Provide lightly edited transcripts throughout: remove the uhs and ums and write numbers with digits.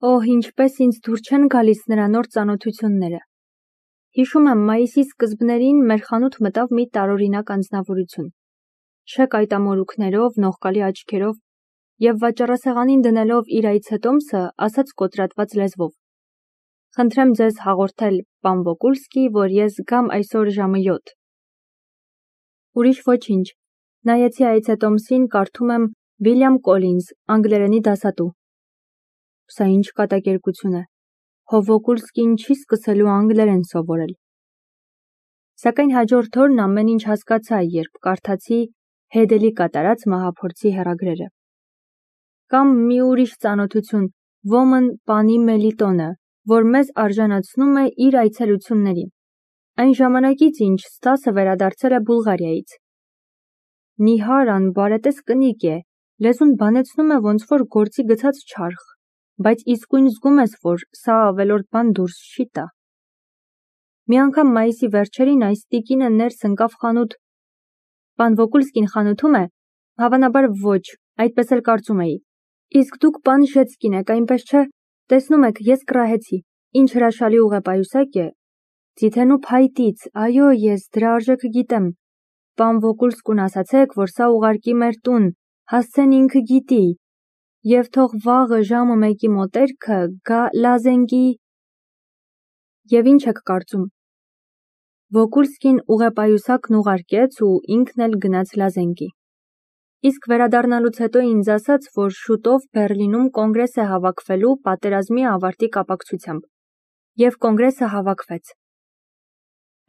Օհ, ինչպես ինձ դուր չեն գալիս նրա նոր ծանոթությունները։ Հիշում եմ, մայիսի սկզբներին մեր խանութ մտավ մի տարօրինակ անձնավորություն։ Շեկ այտամորուքներով, նողկալի աչքերով և վաճառասեղանին դնելով իր այցետոմսը, ասաց կոտրատված լեզվով. «Խնդրեմ ձեզ հաղորդել, պան Վոկուլսկի, որ ես գամ այսօր ժամը 7»։ Ուրիշ ոչինչ, նայեցի այցետոմսին, կարդում եմ Վիլյամ Կոլինզ, անգլերենի դասատու։ Սա ինչ կատակերգություն է, հո Վոկուլսկին չի սկսելու անգլերեն սովորել։ Սակայն հաջորդ օրն ամեն ինչ հասկացա, երբ կարդացի Հեդելի կատարած մահափորձի հեռագրերը։ Կամ մի ուրիշ ծանոթություն, ոմն պանի Մելիտոնը, որ մեզ արժանացնում է իր այցելությունների։ Այն ժամանակից, ինչ Ստասը վերադարձել է Բուլղարիայից։ Նիհար անբարետես կնիկ է, լեզուն բանեցնում է ոնց որ գործի գցած չարխ, բայց իսկույն զգում ես, որ սա ավելորդ բան դուրս չի տա։ Մի անգամ մայիսի վերջերին այս տիկինը ներս ընկավ խանութ։ Պան Վոկուլսկին խանութում է, հավանաբար ոչ, այդպես էլ կարծում էի։ Իսկ դուք պան Ժեցկին եք, այնպես չէ, տեսնում եք, ես կռահեցի, ինչ հրաշալի ուղեպայուսակ է։ Ձիթենու փայտից, այո, ես դրա արժեքը գիտեմ։ Պան Վոկուլսկուն ասացեք, որ սա ուղարկի մեր տուն, հասցեն ինքը գիտի, և թող վաղը ժամը 1-ի մոտերքը գա Լազենգի։ Եվ ինչ եք կարծում։ Վոկուլսկին ուղեպայուսակն ուղարկեց ու ինքն էլ գնաց Լազենգի։ Իսկ վերադառնալուց հետո ինձ ասաց, որ շուտով Բեռլինում կոնգրես է հավաքվելու պատերազմի ավարտի կապակցությամբ։ Եվ կոնգրեսը հավաքվեց։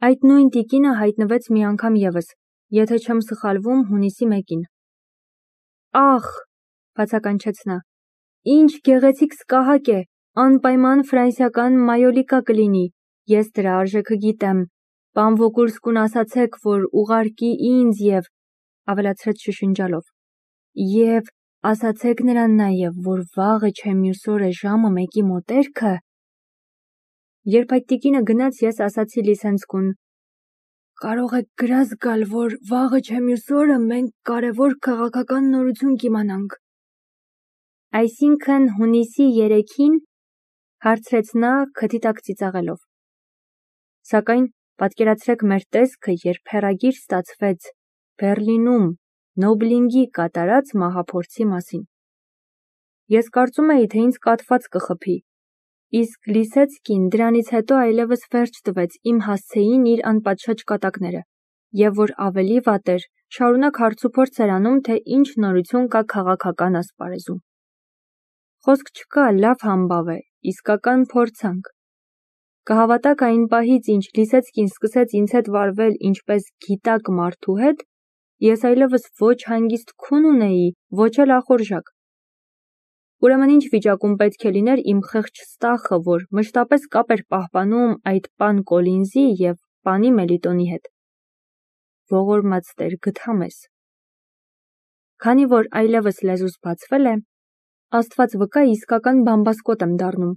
Այդ նույն տիկինը հայտնվեց մի անգամ ևս, եթե չեմ սխալվում, հունիսի 1-ին։ Ախ, բացականչեց նա, ինչ գեղեցիկ սկահակ է, անպայման ֆրանսիական մայոլիկա կլինի, ես դրա արժեքը գիտեմ, պան Վոկուլսկուն ասացեք, որ ուղարկի ինձ և, ավելացրեց շշնջալով, և ասացեք նրան նաև, որ վաղը չէ մյուս օրը ժամը 1-ի մոտերքը։ Երբ այդ տիկինը գնաց, ես ասացի Լիսենցկուն. կարող եք գրազ գալ, որ վաղը չէ մյուս օրը մենք կարևոր քաղաքական նորություն կիմանանք։ Այսինքն հունիսի 3-ին, հարցրեց նա քթի տակ ծիծաղելով։ Սակայն պատկերացրեք մեր տեսքը, երբ հեռագիր ստացվեց Բեռլինում Նոբլինգի կատարած մահափորձի մասին։ Ես կարծում էի, թե ինձ կաթված կխփի, իսկ Լիսեցկին դրանից հետո այլևս վերջ տվեց իմ հասցեին իր անպատշաճ կատակները, և որ ավելի վատ էր, շարունակ հարցուփորձ էր անում, թե ինչ նորություն կա քաղաքական ասպարեզում։ Խոսք չկա, լավ համբավ է, իսկական փորձանք։ Կհավատաք այն պահից, ինչ Լիսեցկին սկսեց ինձ հետ վարվել ինչպես գիտակ մարդու հետ, ես այլևս ոչ հանգիստ քուն ունեի, ոչ էլ ախորժակ։ Ուրեմն ինչ վիճակում պետք է լիներ իմ խեղճ Ստախը, որ մշտապես կապ էր պահպանում այդ պան Կոլինզի և պանի Մելիտոնի հետ։ Ողորմած Տեր, գթա մեզ։ Քանի որ այլևս լեզուս բացվել է, Աստված վկա իսկական բամբասկոտ եմ դառնում։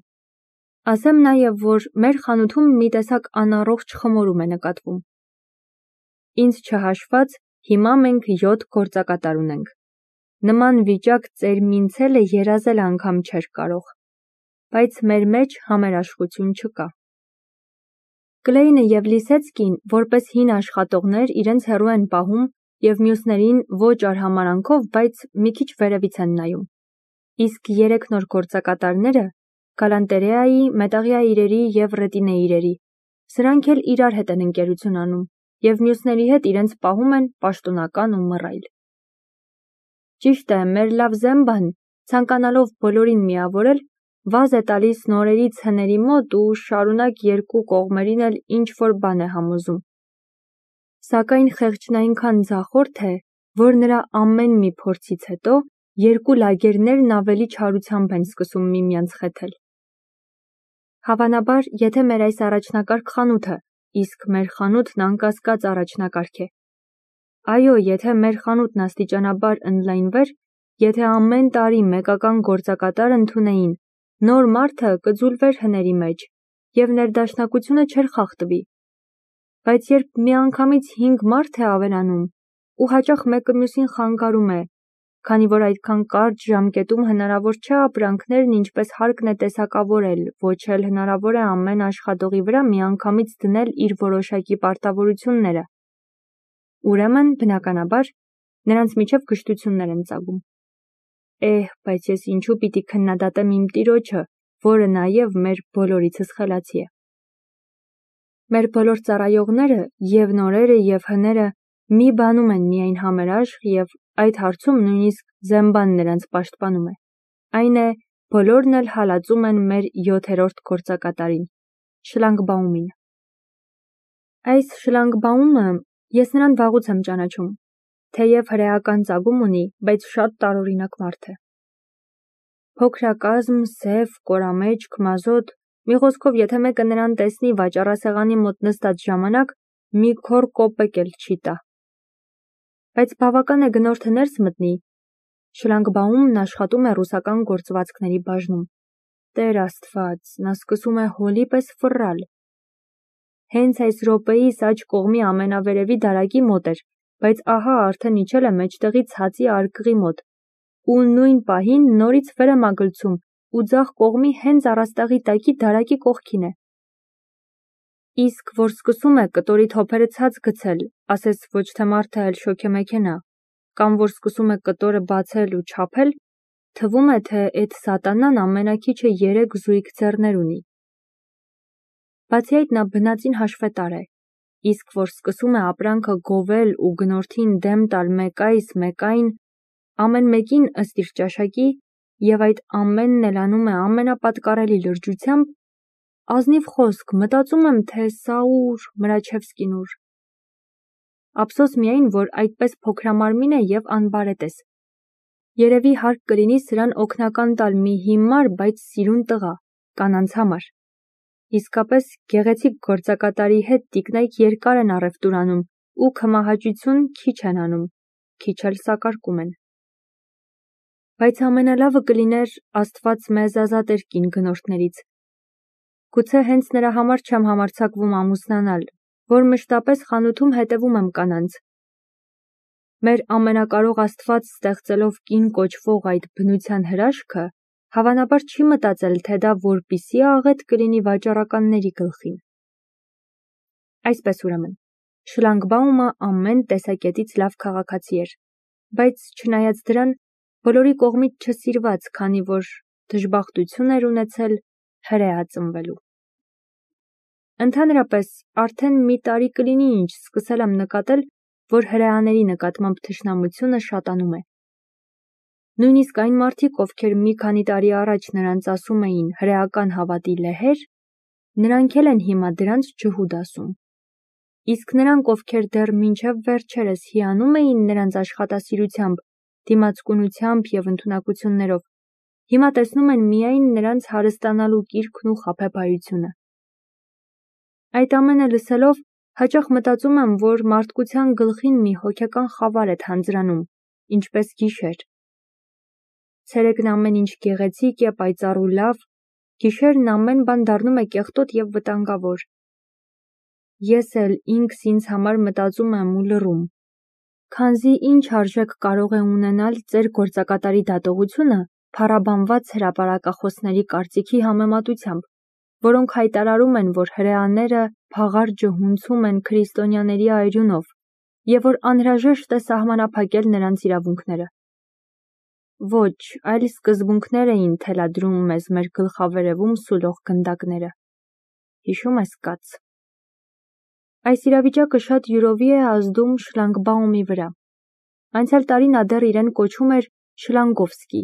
Ասեմ նաև, որ մեր խանութում մի տեսակ անառողջ խմորում է նկատվում։ Ինձ չհաշված, հիմա մենք 7 գործակատար ունենք։ Նման վիճակ ծեր Մինցելը երազել անգամ չէր կարող, բայց մեր մեջ համերաշխություն չկա։ Կլեյնը և Լիսեցկին, որպես հին աշխատողներ, իրենց հեռու են պահում և մյուսներին ոչ արհամարհանքով, բայց մի քիչ վերևից են նայում։ Իսկ 3 նոր գործակատարները գալանտերեայի, մետաղյա իրերի և ռետինե իրերի, սրանք էլ իրար հետ են ընկերություն անում և մյուսների հետ իրենց պահում են պաշտոնական ու մռայլ։ Ճիշտ է, մեր լավ Զեմբան, ցանկանալով բոլորին միավորել, վազ է տալիս նորերից հների մոտ ու շարունակ երկու կողմերին էլ ինչ-որ բան է համոզում։ Սակայն խեղճն այնքան ձախորդ է, որ նրա ամեն մի փորձից հետո երկու լագերներն ավելի չարությամբ են սկսում միմյանց խեթել։ Հավանաբար, եթե մեր այս առաջնակարգ խանութը, իսկ մեր խանութն անկասկած առաջնակարգ է։ Այո, եթե մեր խանութն աստիճանաբար ընդլայնվեր, եթե ամեն տարի մեկական գործակատար ընդունեին, նոր մարդը կձուլվեր հների մեջ և ներդաշնակությունը չէր խախտվի։ Բայց երբ միանգամից 5 մարդ է ավելանում ու հաճախ մեկը մյուսին խանգարում է, քանի որ այդքան կարճ ժամկետում հնարավոր չէ ապրանքներն ինչպես հարկն է տեսակավորել, ոչ էլ հնարավոր է ամեն աշխատողի վրա միանգամից դնել իր որոշակի պարտավորությունները։ Ուրեմն, բնականաբար, նրանց միջև կշտություններ են ծագում։ Բայց ես ինչու պիտի քննադատեմ իմ տիրոջը, որը նաև մեր բոլորիցս խելացի է։ Մեր բոլոր ծառայողները, և նորերը, և հները, մի բանում են միայն համերաշխ և այդ հարցում նույնիսկ Զեմբան նրանց պաշտպանում է։ Այն է, բոլորն էլ հալածում են մեր 7-րդ գործակատարին, Շլանգբաումին։ Այս Շլանգբաումը ես նրան վաղուց եմ ճանաչում, թեև հրեական ծագում ունի, բայց շատ տարօրինակ մարդ է։ Փոքրակազմ, սև, կորամեջք, մազոտ, մի խոսքով, եթե մեկը նրան տեսնի վաճառասեղանի մոտ նստած ժամանակ, մի քոռ կոպեկ էլ չի տա։ Բայց բավական է գնորդը ներս մտնի, Շլանգբաումն աշխատում է ռուսական գործվածքների բաժնում։ Տեր Աստված, նա սկսում է հոլի պես ֆռռալ։ Հենց այս րոպեիս աջ կողմի ամենավերևի դարակի մոտ էր, բայց ահա արդեն իջել է մեջտեղի ցածի արկղի մոտ, ու նույն պահին նորից վեր է մագլցում ու ձախ կողմի հենց առաստաղի տակի դարակի կողքին է։ Իսկ որ սկսում է կտորի թոփերը ցած գցել, ասես ոչ թե մարդը, այլ շոգեմեքենա, կամ որ սկսում է կտորը բացել ու չափել, թվում է, թե էդ սատանան ամենաքիչը 3 զույգ ձեռներ ունի։ Բացի այդ նա բնածին հաշվետար է, իսկ որ սկսում է ապրանքը գովել ու գնորդին դեմ տալ մեկ այս, մեկ այն, ամեն մեկին ըստ իր ճաշակի, և այդ ամենն էլ անում է ամենապատկառելի լրջությամբ, ազնիվ խոսք, մտածում եմ, թե սա ուր, Մրաչևսկին ուր։ Ափսոս միայն, որ այդպես փոքրամարմին է և անբարետ ես։ Երևի հարկ կլինի սրան օգնական տալ մի հիմար, բայց սիրուն տղա, կանանց համար։ Իսկապես գեղեցիկ գործակատարի հետ տիկնայք երկար են առևտուր անում ու քմահաճություն քիչ են անում, քիչ էլ սակարկում են։ Բայց ամենալավը կլիներ Աստված մեզ ազատեր կին գնորդներից։ Գուցե հենց նրա համար չեմ համարձակվում ամուսնանալ, որ մշտապես խանութում հետևում եմ կանանց։ Մեր ամենակարող Աստված ստեղծելով կին կոչվող այդ բնության հրաշքը, հավանաբար չի մտածել, թե դա որպիսի աղետ կլինի վաճառականների գլխին։ Այսպես ուրեմն, Շլանգբաումը ամեն տեսակետից լավ քաղաքացի էր, բայց չնայած դրան, բոլորի կողմից չսիրված, քանի որ դժբախտություն էր ունեցել հրեա ծնվելու։ Ընդհանրապես, արդեն մի տարի կլինի, ինչ սկսել եմ նկատել, որ հրեաների նկատմամբ թշնամությունը շատանում է։ Նույնիսկ այն մարդիկ, ովքեր մի քանի տարի առաջ նրանց ասում էին հրեական հավատի լեհեր, նրանք էլ են հիմա դրանց ջհուդ ասում։ Իսկ նրանք, ովքեր դեռ մինչև վերջերս հիանում էին նրանց աշխատասիրությամբ, դիմացկունությամբ և ընդունակություններով, հիմա տեսնում են միայն նրանց հարստանալու կիրքն ու խաբեբայությունը։ Այդ ամենը լսելով, հաճախ մտածում եմ, որ մարդկության գլխին մի հոգեկան խավար է թանձրանում, ինչպես գիշեր։ Ցերեկն ամեն ինչ գեղեցիկ է, պայծառ ու լավ, գիշերն ամեն բան դառնում է կեղտոտ և վտանգավոր։ Ես էլ ինքս ինձ համար մտածում եմ ու լռում, քանզի ինչ արժեք կարող է ունենալ ձեր գործակատարի դատողությունը փառաբանված հրապարակախոսների կարծիքի համեմատությամբ, որոնք հայտարարում են, որ հրեաները փաղարջը հունցում են քրիստոնյաների այրունով և որ անհրաժեշտ է սահմանափակել նրանց իրավունքները։ Ոչ, այլ սկզբունքներ էին թելադրում մեզ մեր գլխավերևում սուլող գնդակները։ Հիշում ես, կաց։ Այս իրավիճակը շատ յուրովի է ազդում Շլանգբաումի վրա։ Անցյալ տարի նա դեռ իրեն կոչում էր Շլանգովսկի։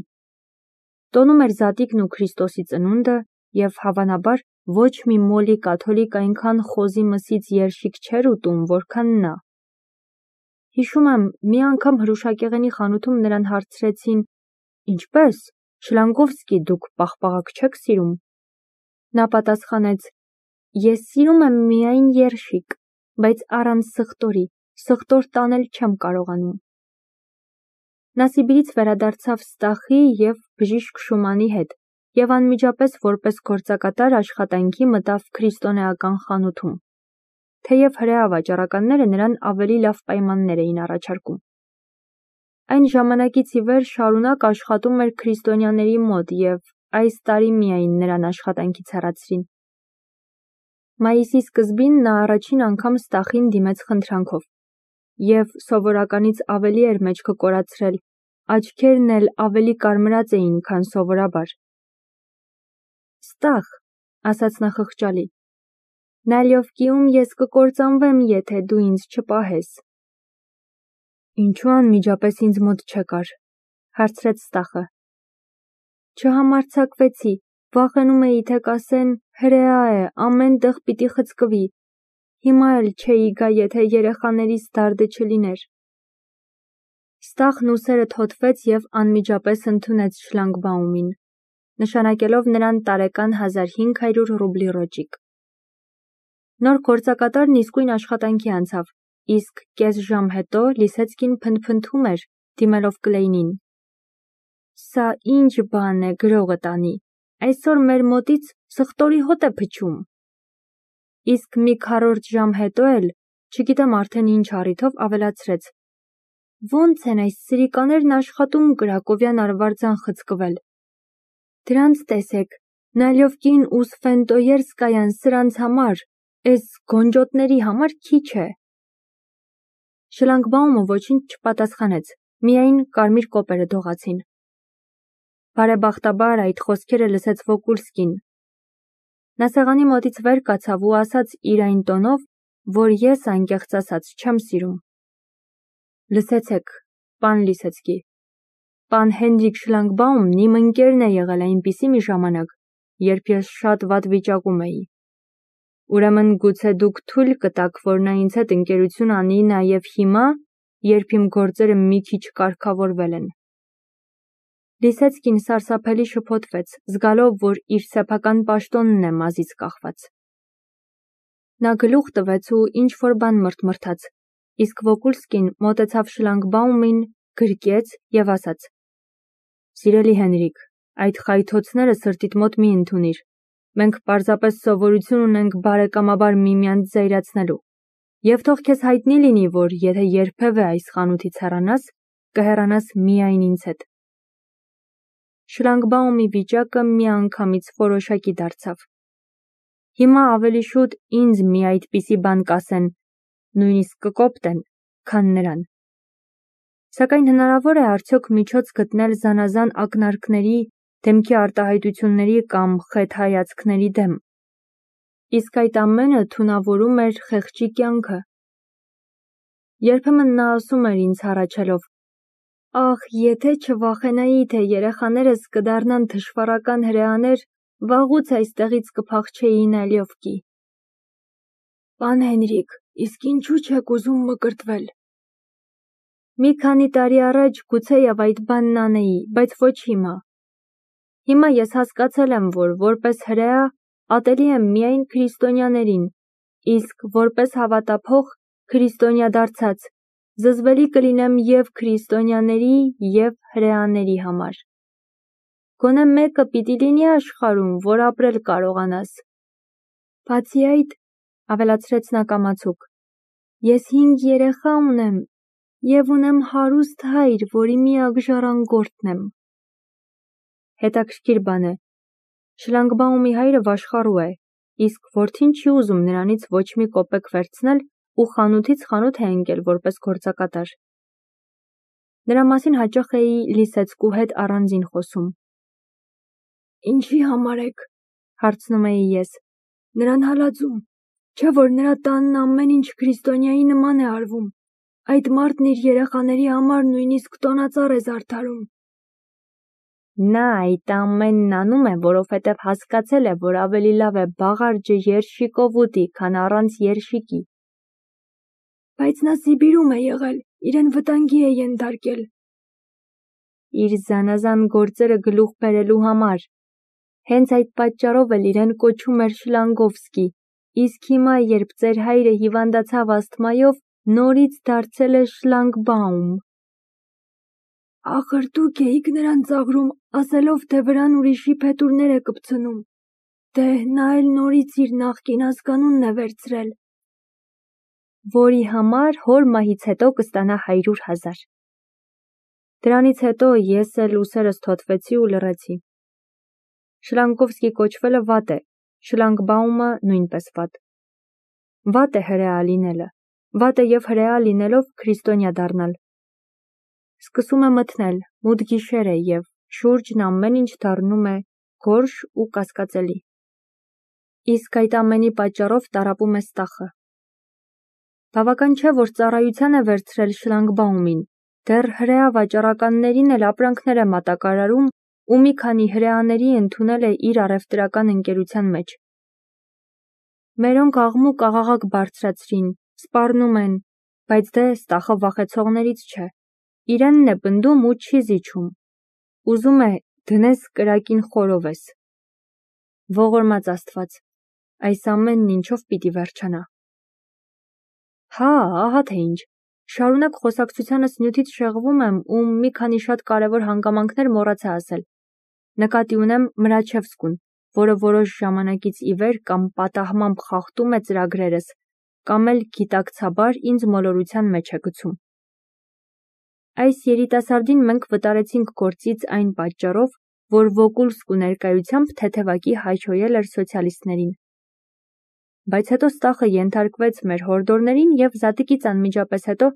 Տոնում էր Զատիկն ու Քրիստոսի ծնունդը և հավանաբար ոչ մի մոլի կաթոլիկ այնքան խոզի մսից երշիկ չէր ուտում, որքան նա։ Հիշում եմ, մի անգամ հրուշակեղենի խանութում նրան հարցրեցին. «Ինչպե՞ս, Շլանգովսկի, դուք պաղպաղակ չեք սիրում»։ Նա պատասխանեց. «Ես սիրում եմ միայն երշիկ, բայց առանց սխտորի, սխտոր տանել չեմ կարողանում»։ Նա Սիբիրից վերադարձավ Ստախի և բժիշկ Շումանի հետ և անմիջապես որպես գործակատար աշխատանքի մտավ քրիստոնեական խանութում, թեև հրեա վաճառականները նրան ավելի լավ պայմաններ էին առաջարկում։ Այն ժամանակից ի վեր շարունակ աշխատում էր քրիստոնյաների մոտ և այս տարի միայն նրան աշխատանքից հեռացրին։ Մայիսի սկզբին նա առաջին անգամ Ստախին դիմեց խնդրանքով և սովորականից ավելի էր մեջքը կորացրել, աչքերն էլ ավելի կարմրած էին, քան սովորաբար։ Ստախ, ասաց նա խղճալի, նալյովկիում ես կկործանվեմ, եթե դու ինձ չպահես։ Ինչու անմիջապես ինձ մոտ չեկար, հարցրեց Ստախը։ Չհամարձակվեցի, վախենում էի, թե կասեն հրեա է, ամեն տեղ պիտի խցկվի։ Հիմա էլ չէի գա, եթե երեխաներիս դարդը չլիներ։ Ստախն ուսերը թոթվեց և անմիջապես ընդունեց շլագբաումին, նշանակելով նրան տարեկան 1500 ռուբլի ռոճիկ։ Նոր գործակատարն իսկույն աշխատանքի անցավ, իսկ կես ժամ հետո Լիսեցկին փնթփնթում էր, դիմելով Կլեյնին. Սա ինչ բան է, գրողը տանի, այսօր մեր մոտից սխտորի հոտ է փչում։ Իսկ մի քառորդ ժամ հետո էլ, չգիտեմ արդեն ինչ առիթով, ավելացրեց. Ոնց են այս սրիկաներն աշխատում Կրակովյան արվարձան խցկվել։ Դրանց տեսեք, Նալյովկին ու Սվենտոյերսկայան սրանց համար, էս գոնջոտների համար քիչ է։ Շլագբաումը ոչինչ չպատասխանեց, միայն կարմիր կոպերը դողացին։ Բարեբախտաբար այդ խոսքերը լսեց Վոկուլսկին։ Նա սեղանի մոտից վեր կացավ ու ասաց իր այն տոնով, որ ես անկեղծ ասած չեմ սիրում. Լսեցեք, պան Լիսեցկի, պան Հենրիկ Շլագբաումն իմ ընկերն է եղել այնպիսի մի ժամանակ, երբ ես շատ վատ վիճակում էի։ Ուրեմն գուցե դուք թույլ կտաք, որ նա ինձ հետ ընկերություն անի նաև հիմա, երբ իմ գործերը մի քիչ կարգավորվել են։ Լիսեցկին սարսափելի շփոթվեց, զգալով, որ իր սեփական պաշտոնն է մազից կախված։ Նա գլուխ տվեց ու ինչ-որ բան մրթմրթաց, իսկ Վոկուլսկին մոտեցավ Շլագբաումին, գրկեց և ասաց. Սիրելի Հենրիկ, այդ խայթոցները սրտիդ մոտ մի ընդունիր։ Մենք պարզապես սովորություն ունենք բարեկամաբար միմյանց զայրացնելու։ Եվ թող քեզ հայտնի լինի, որ եթե երբևէ այս խանութից հեռանաս, կհեռանաս միայն ինձ հետ։ Շլագբաումի վիճակը միանգամից որոշակի դարձավ։ Հիմա ավելի շուտ ինձ մի այդպիսի բան կասեն, նույնիսկ կկոպտեն, քան նրան։ Սակայն հնարավոր է արդյոք միջոց գտնել զանազան ակնարկների, դեմքի արտահայտությունների կամ խեթ հայացքների դեմ։ Իսկ այդ ամենը թունավորում էր խեղճի կյանքը։ Երբեմն նա ասում էր ինձ հառաչելով. Ախ, եթե չվախենայի, թե երեխաներս կդառնան թշվառական հրեաներ, վաղուց այստեղից կփախչեի Նալյովկի։ Պան Հենրիկ, իսկ ինչու չեք ուզում մկրտվել։ Մի քանի տարի առաջ գուցեև այդ բանն անեի, բայց ոչ հիմա։ Հիմա ես հասկացել եմ, որ որպես հրեա ատելի եմ միայն քրիստոնյաներին, իսկ որպես հավատափող քրիստոնյա դարձած, զզվելի կլինեմ և քրիստոնյաների, և հրեաների համար։ Գոնե մեկը պիտի լինի աշխարհում, որ ապրել կարողանաս։ Բացի այդ, ավելացրեց նա կամացուկ, ես 5 երեխա ունեմ և ունեմ հարուստ հայր, որի միակ ժառանգորդն եմ։ Հետաքրքիր բան է, Շլագբաումի հայրը վաշխառու է, իսկ որդին չի ուզում նրանից ոչ մի կոպեկ վերցնել ու խանութից խանութ է ընկել որպես գործակատար։ Նրա մասին հաճախ էի Լիսեցկու հետ առանձին խոսում։ Ինչի համար եք, հարցնում էի ես, նրան հալածում, չէ որ նրա տանն ամեն ինչ քրիստոնյայի նման է արվում, այդ մարդն իր երեխաների համար նույնիսկ տոնածառ է զարդարում։ Նա այդ ամենն անում է, որովհետև հասկացել է, որ ավելի լավ է բաղարջը երշիկով ուտի, քան առանց երշիկի։ Բայց նա Սիբիրում է եղել, իրեն վտանգի է ենթարկել։ Իր զանազան գործերը գլուխ բերելու համար։ Հենց այդ պատճառով էլ իրեն կոչում էր Շլանգովսկի, իսկ հիմա, երբ ձեր հայրը հիվանդացավ ասթմայով, նորից դարձել է Շլագբաում։ Ախր դուք էիք նրան ծաղրում, ասելով, թե վրան ուրիշի փետուրներ է կպցնում։ Դե նա էլ նորից իր նախկին ազգանունն է վերցրել։ Որի համար հոր մահից հետո կստանա 100,000։ Դրանից հետո ես էլ ուսերս թոթվեցի ու լռեցի։ Շլանկովսկի կոչվելը վատ է, Շլանգբաումը նույնպես վատ։ Վատ է հրեա լինելը, վատ է և հրեա լինելով քրիստոնյա դառնալ։ Սկսում է մթնել, մութ գիշեր է և շուրջն ամեն ինչ դառնում է գորշ ու կասկածելի։ Իսկ այդ ամենի պատճառով տառապում է ստախը։ Բավական չէ, որ ծառայության է վերցրել Շլանգբաումին, դեռ հրեա վաճառականներին էլ ապրանքներ է մատակարարում ու մի քանի հրեաների ընդունել է իր առևտրական ընկերության մեջ։ Մերոնք աղմուկ աղաղակ բարձրացրին, սպառնում են, բայց դե ստախը վախեցողներից չէ, իրենն է պնդում ու չի զիջում, ուզում է դնես կրակին խորովես։ Ողորմած Աստված, այս ամենն ինչով պիտի վերջանա։ Հա, ահա թե ինչ, շարունակ խոսակցությանս նյութից շեղվում եմ ու մի քանի շատ կարևոր հանգամանքներ մոռացա ասել։ Նկատի ունեմ Մրաչևսկուն, որը որոշ ժամանակից ի վեր կամ պատահմամբ խախտում է ծրագրերս, կամ էլ գիտակցաբար ինձ մոլորության մեջ է գցում։ Այս երիտասարդին մենք վտարեցինք գործից այն պատճառով, որ Վոկուլսկու ներկայությամբ թեթևակի հայհոյել էր սոցիալիստներին։ Բայց հետո ստախը ենթարկվեց մեր հորդորներին և զատիկից անմիջապես հետո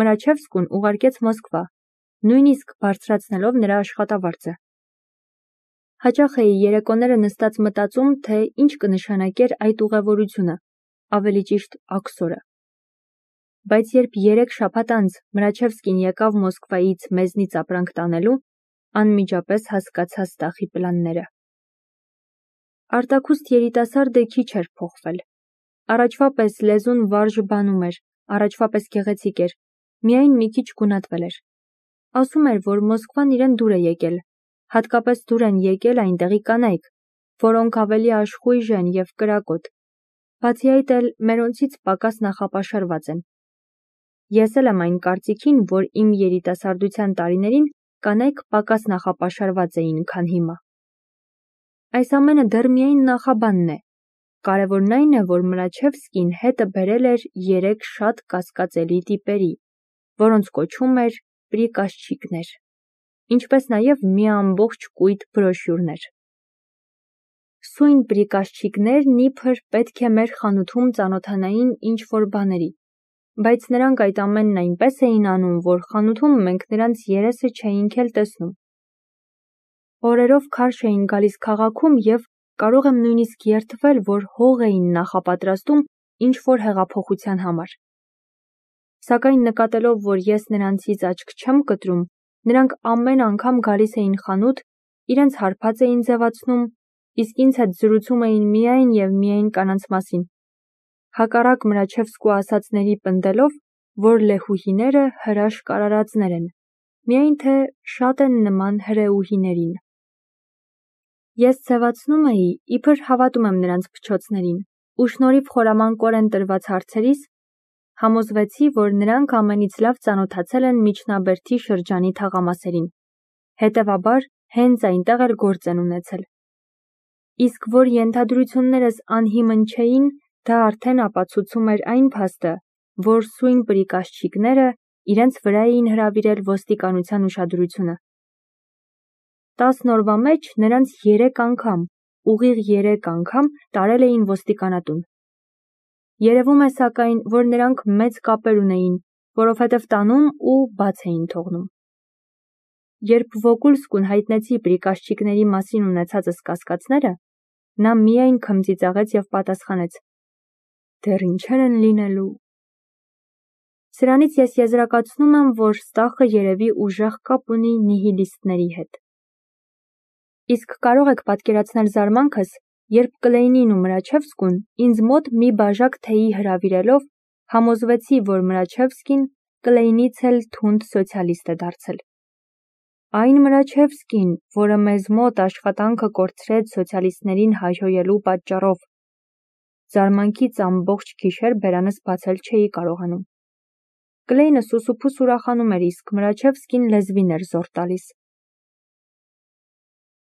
Մրաչևսկուն ուղարկեց Մոսկվա, նույնիսկ բարձրացնելով նրա աշխատավարձը։ Հաճախ էի երեկոները նստած մտածում, թե ինչ կնշանակեր այդ ուղևորությունը, ավելի ճիշտ աքսորը։ Բայց երբ 3 շաբաթ անց Մրաչևսկին եկավ Մոսկվայից մեզնից ապրանք տանելու, անմիջապես հասկացա ստախի պլանները։ Արտաքուստ երիտասարդը քիչ էր փոխվել։ Առաջվա պես լեզուն վարժ բանում էր, առաջվա պես գեղեցիկ էր, միայն մի քիչ գունատվել էր։ Ասում էր, որ Մոսկվան իրեն դուր է եկել, հատկապես դուր են եկել այնտեղի կանայք, որոնք ավելի աշխույժ են և կրակոտ, բացի այդ էլ մերոնցից պակաս նախապաշարված են։ Ես էլ եմ այն կարծիքին, որ իմ երիտասարդության տարիներին կանայք պակաս նախապաշարված էին, քան հիմա։ Այս ամենը դեռ միայն նախաբանն է։ Կարևորն այն է, որ Մրաչևսկին հետը բերել էր 3 շատ կասկածելի տիպերի, որոնց կոչում էր պրիկազչիկներ, ինչպես նաև մի ամբողջ կույտ բրոշյուրներ։ Սույն պրիկազչիկներն իբր պետք է մեր խանութում ծանոթանային ինչ-որ բաների, բայց նրանք այդ ամենն այնպես էին անում, որ խանութում մենք նրանց երեսը չէինք էլ տեսնում։ Օրերով քարշ էին գալիս քաղաքում և կարող եմ նույնիսկ երդվել, որ հող էին նախապատրաստում ինչ-որ հեղափոխության համար։ Սակայն նկատելով, որ ես նրանցից աչք չեմ կտրում, նրանք ամեն անգամ գալիս էին խանութ, իրենց հարբած էին ձևացնում, իսկ ինձ հետ զրուցում էին միայն և միայն կանանց մասին։ Հակառակ Մրաչևսկու ասածների պնդելով, որ լեհուհիները հրաշք արարածներ են, միայն թե շատ են նման հրեուհիներին։ Ես ձևացնում էի, իբր հավատում եմ նրանց փչոցներին, ու շնորհիվ խորամանկորեն տրված հարցերիս, համոզվեցի, որ նրանք ամենից լավ ծանոթացել են միջնաբերդի շրջանի թաղամասերին, հետևաբար հենց այնտեղ էլ գործ են ունեցել։ Իսկ որ ենթադրություններս անհիմն չէին, դա արդեն ապացուցում էր այն փաստը, որ սույն պրիկազչիկները իրենց վրա էին հրավիրել ոստիկանության ուշադրությունը։ 10 օրվա մեջ նրանց 3 անգամ, ուղիղ 3 անգամ տարել էին ոստիկանատուն։ Երևում է սակայն, որ նրանք մեծ կապեր ունեին, որովհետև տանում ու բաց էին թողնում։ Երբ Վոկուլսկուն հայտնեցի պրիկազչիկների մասին ունեցածս կասկածները, նա միայն քմծիծաղեց և պատասխանեց. «Դեռ ինչեր են լինելու»։ Սրանից ես եզրակացնում եմ, որ ստախը երևի ուժեղ կապ ունի նիհիլիստների հետ։ Իսկ կարող եք պատկերացնել զարմանքս, երբ Կլեյնին ու Մրաչևսկուն ինձ մոտ մի բաժակ թեյի հրավիրելով համոզվեցի, որ Մրաչևսկին Կլեյնից էլ թունդ սոցիալիստ է դարձել։ Այն Մրաչևսկին, որը մեզ մոտ աշխատանքը կորցրեց սոցիալիստներին հայհոյելու պատճառով։ Զարմանքից ամբողջ գիշեր բերանս բացել չէի կարողանում։ Կլեյնը սուսուփուս ուրախանում էր, իսկ Մրաչևսկին լեզվին էր զոր տալիս։